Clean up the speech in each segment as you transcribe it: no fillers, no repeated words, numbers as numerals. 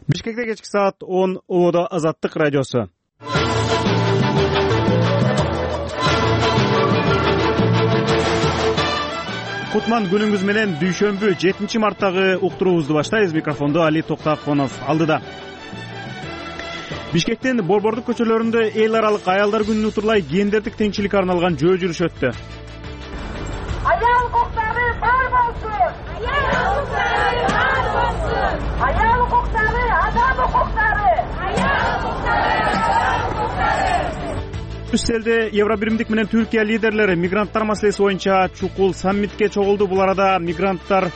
Бишкекте кечки саат 10 Ободо Азаттык радиосу. Кутман күнүңүз менен дүйшөмбү 7 марттагы уктуруубузду баштайбыз. Микрофондо Али Токтаконов алдыда. Бишкектин Борбордук көчөлөрүндө эл аралык аялдар күнүнө утурлай гендердик теңчиликке арналган жөө жүрүш өттү. Аял укуктары бар болсун! Аял укуктары бар болсун! Аял укуктары, адам укуктары! Аял укуктары, адам укуктары! Брюсселде Евробиримдик менен Түркия лидерлери мигранттар маселеси боюнча чукул саммитке чогулду. Бул арада мигранттар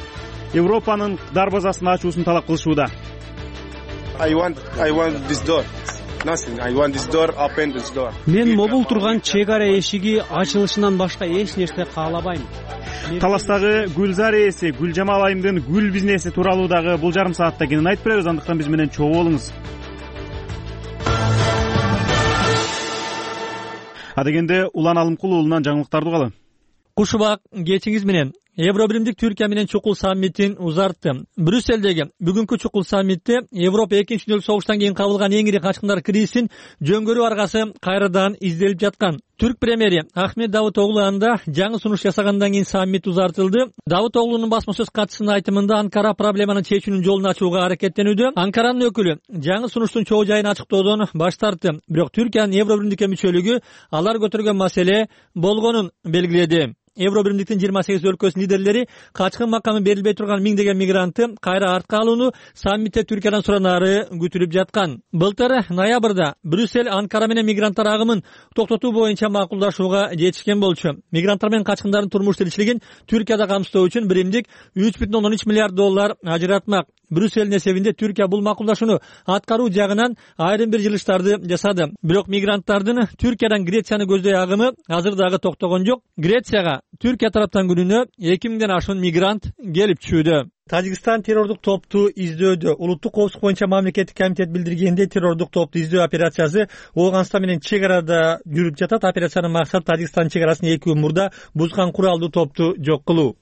Европанын дарбазасын ачуусун талап кылышууда. I want this door. Nothing. I want this door, open this door. Мен могул турган чек ара эшиги ачылышынан башка эч нерсе каалабайм. Таластагы Гүлзар ээси Гүлжамал айымдын гүл бизнеси тууралуу дагы бул жарым саатта кенен айтып беребиз. Андыктан биз менен чогуу болуңуз. Адегенде Улан Алымкул уулунан жаңылыктарды угалы. Кушубак кечиңиз менен Евробиримдик Түркия менен чукул саммитин узартты. Брюсселдеги бүгүнкү чукул саммитте Европа 2-дүнөлүк согуштан кийин кабылган эң ири качкындар кризисин жөнгөрүү аргасы кайрадан изделип жаткан. Түрк премьери Ахмет Давутоглу анда жаңы сунуш жасагандан кийин саммит узартылды. Давутоглунун басма сөз катчысынын айтымында Анкара проблеманы чечүүнүн жолун ачууга аракеттенүүдө. Анкаранын өкүлү жаңы сунуштун чоо жайын ачыктоодон баш тартты. Бирок Түркиянын Евробиримдикке мүчөлүгү алар көтөргөн маселе болгонун белгиледи. Евробиримдиктин 28 өлкөсүнүн лидерлери качкын макамы берилбей турган миңдеген мигрантты кайра артка алууну саммитте Түркиядан суранары күтүлүп жаткан. Былтыр ноябрда Брюссель Анкара менен мигранттар агымын токтотуу боюнча макулдашууга жетишкен болчу. Мигранттар менен качкындардын турмуш тиричилигин Түркияда камсыздоо үчүн биримдик 3,3 миллиард доллар ажыратмак. Брюссельдин эсебинде Түркия бул макулдашууну аткаруу жагынан айрым бир жылыштарды жасады. Бирок мигранттардын Түркиядан Грецияны көздөй агымы азыр дагы токтогон жок. Грецияга Түркия тараптан күнүнө 2000ден ашуун мигрант келип түшүүдө. Тажикстан террордук топту издөдө. Улуттук коопсуздук боюнча мамлекеттик комитет билдиргенде террордук топту издөө операциясы Ооганстан менен чек арада жүрүп жатат. Операциянын максаты Тажикстан чек арасын 2 күн мурда бузган куралдуу топту жок кылуу.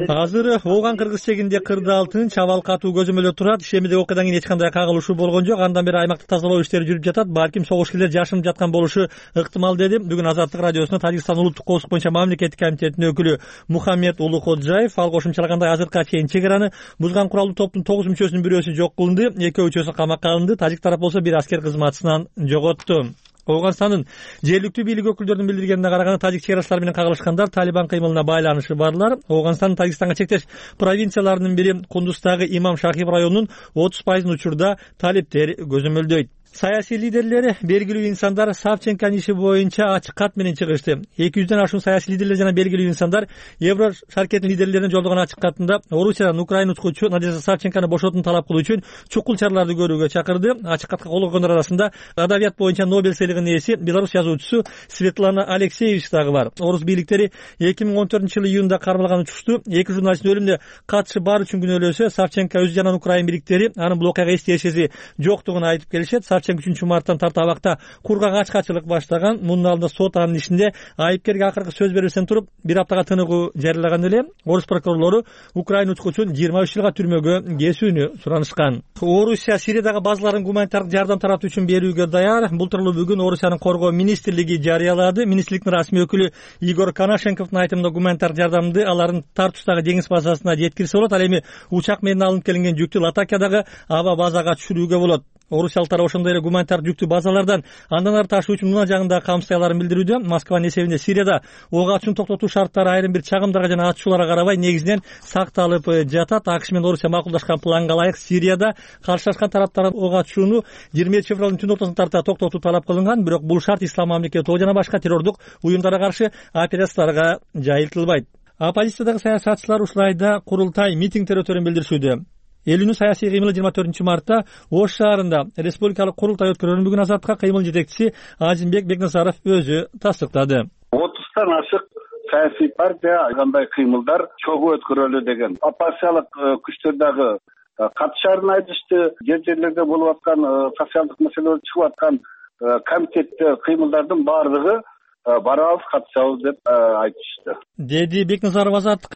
Азыр Ооган кыргыз чегинде кырдаал тынч, абал катуу көзөмөлдө турат. Ишемидеги окуядан кийин эч кандай кагылышуу болгон жок. Андан бери аймакты тазалоо иштери жүрүп жатат. Балким согушкерлер жашынып жаткан болушу ыктымал деди бүгүн Азаттык радиосуна Тажикстан улуттук коопсуздук боюнча мамлекеттик комитетинин өкүлү Мухаммед Улукоджаев. Ал кошумчалагандай азыркыга чейин чек араны бузган куралдуу топтун 9 мүчөсүнүн бирөөсү жок кылынды, 2 мүчөсү камакка алынды. Тажик тарап болсо бир аскер кызматчысынан жоготту. Ооганстандын жергиликтүү бийлик өкүлдөрүнүн билдиргенине караганда тажик чек арачылар менен кагылышкандар Талибан кыймылына байланышы барлар. Ооганстандын Тажикстанга чектеш провинцияларынын бири Кундуздагы Имам Шахиб районунун 30% учурда талиптер көзөмөлдөйт. Саясий лидерлери, белгилүү инсандар Савченконун иши боюнча ачык кат менен чыгышты. 200дөн ашуун саясий лидерлер жана белгилүү инсандар Евро шаркеттин лидерлерине жолдогон ачык катында Орусиядан Украина учкучу Надежда Савченкону бошотууну талап кылуу үчүн чукул чараларды көрүүгө чакырды. Ачык катка кол койгондор арасында адабият боюнча Нобель сыйлыгынын ээси Беларусь жазуучусу Светлана Алексеевич дагы бар. Орус бийликтери 2014-жылы июнда кармалган учушту 2 журналисттин өлүмүнө катышы бар үчүн күнөөлөсө, Савченко өзү жана Украина бийликтери анын бул окуяга эч тиешеси жоктугун айтып келишет. 3 марттан тарта абакта кургак ачкачылык баштаган. Мунун алдында сот анын ишинде айыпкерге акыркы сөз бербестен туруп бир аптага тыныгуу жарыялаган эле. Орус прокурорлору Украина учкучун 23 жылга түрмөгө кесүүнү суранышкан. Орусия Сириядагы базаларын гуманитардык жардам таратуу үчүн берүүгө даяр. Бул тууралуу бүгүн Орусиянын коргоо министрлиги жарыялады. Министрликтин расмий өкүлү Игор Коношенковдун айтымында гуманитардык жардамды алардын Тартустагы деңиз базасына жеткирсе болот. Ал эми учак менен алынып келинген жүктү Латакиядагы аба базага түшүрүүгө болот. Орусиялыктар ошондой эле гуманитардык жүктү базалардан андан ары ташуу үчүн мына жагында камсыздыяларын билдирүүдө. Москванын эсебинде Сирияда ок атуучун токтотуу шарттары айрым бир чагымдарга жана атышууларга карабай негизинен сакталып жатат. АКШ менен Орусия макулдашкан планга ылайык Сирияда каршылашкан тараптардан ок атышууну 27 февралдын түн ортосуна тарта токтотуу талап кылынган. Бирок бул шарт Ислам мамлекети ООО жана башка террордук уюмдарга каршы операцияларга жайылтылбайт. Оппозициядагы саясатчылар ушулайда курултай митингдер өтөрүн билдиришүүдө. Элүүнүн саясий кыймылы 24 мартта Ош шаарында республикалык курултай өткөрүлөрүн бүгүн Азаттыкка кыймыл жетекчиси Азимбек Бекназаров өзү тастыктады. 30тан ашык саясий партия кандай кыймылдар чогуу өткөрөлү деген оппозициялык күчтөр дагы катышарын айтышты. Жерлерде болуп аткан социалдык маселелер чыгып аткан комитеттер кыймылдардын баардыгы барабыз, катышабыз деп айтышты. Деди Бекназаров Азаттыкка.